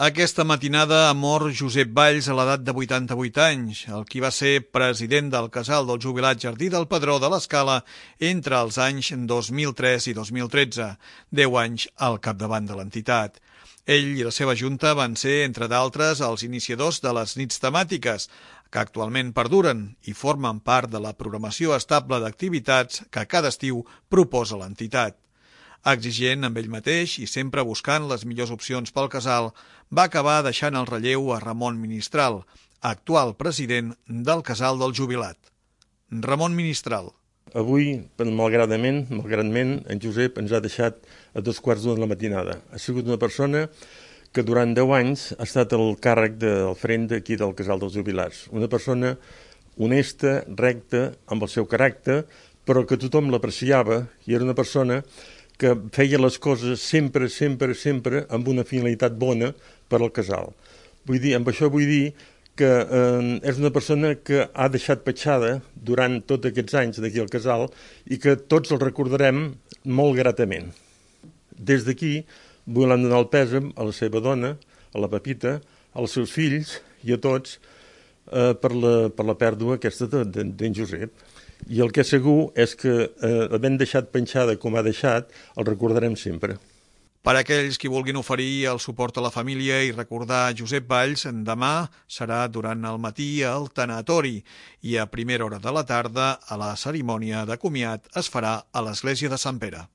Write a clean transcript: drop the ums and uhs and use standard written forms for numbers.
Aquesta matinada ha mort Josep Valls a l'edat de 88 anys, el qui va ser president del Casal del Jubilat Jardí del Pedró de l'Escala entre els anys 2003 i 2013, 10 anys al capdavant de l'entitat. Ell i la seva junta van ser, entre d'altres, els iniciadors de les nits temàtiques, que actualment perduren i formen part de la programació estable d'activitats que cada estiu proposa l'entitat. Exigent amb ell mateix i sempre buscant les millors opcions pel casal, va acabar deixant el relleu a Ramon Ministral, actual president del Casal del Jubilat. Ramon Ministral. Avui, malgradament, en Josep ens ha deixat a 2:15 de la matinada. Ha sigut una persona que durant 10 anys ha estat al càrrec del front d'aquí del Casal dels Jubilats. Una persona honesta, recta, amb el seu caràcter, però que tothom l'apreciava i era una persona que feia les coses sempre amb una finalitat bona per al casal. Amb això vull dir que és una persona que ha deixat petjada durant tots aquests anys d'aquí al casal i que tots el recordarem molt gratament. Des d'aquí volem donar el pèsam a la seva dona, a la Pepita, als seus fills i a tots per la pèrdua aquesta d'en Josep. I el que és segur és que, havent deixat penjada com ha deixat, el recordarem sempre. Per a aquells qui vulguin oferir el suport a la família i recordar Josep Valls, demà serà durant el matí al tanatori i a primera hora de la tarda a la cerimònia de comiat es farà a l'església de Sant Pere.